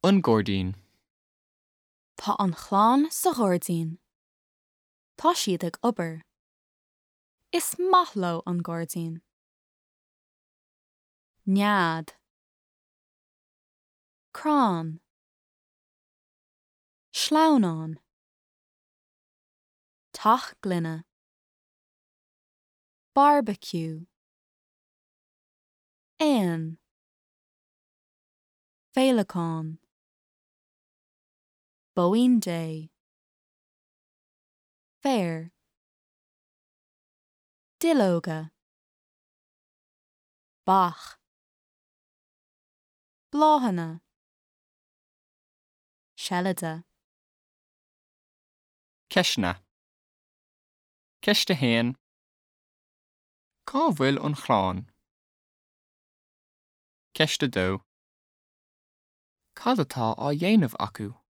An gairdín. Tá an chlann sa ghairdín. Tá siad ag obair. Is maith leo an gairdín. Nead. Crann. Sleamhnán. Teach gloine. Beárbaiciú. Éan. Féileacán. Bóín Dé. Féar. Duilleoga. Beach. Bláthanna. Seilide. Ceisteanna. Ceist 1. Cá bhfuil an chlann? Ceist 2. Cad atá á dhéanamh acu?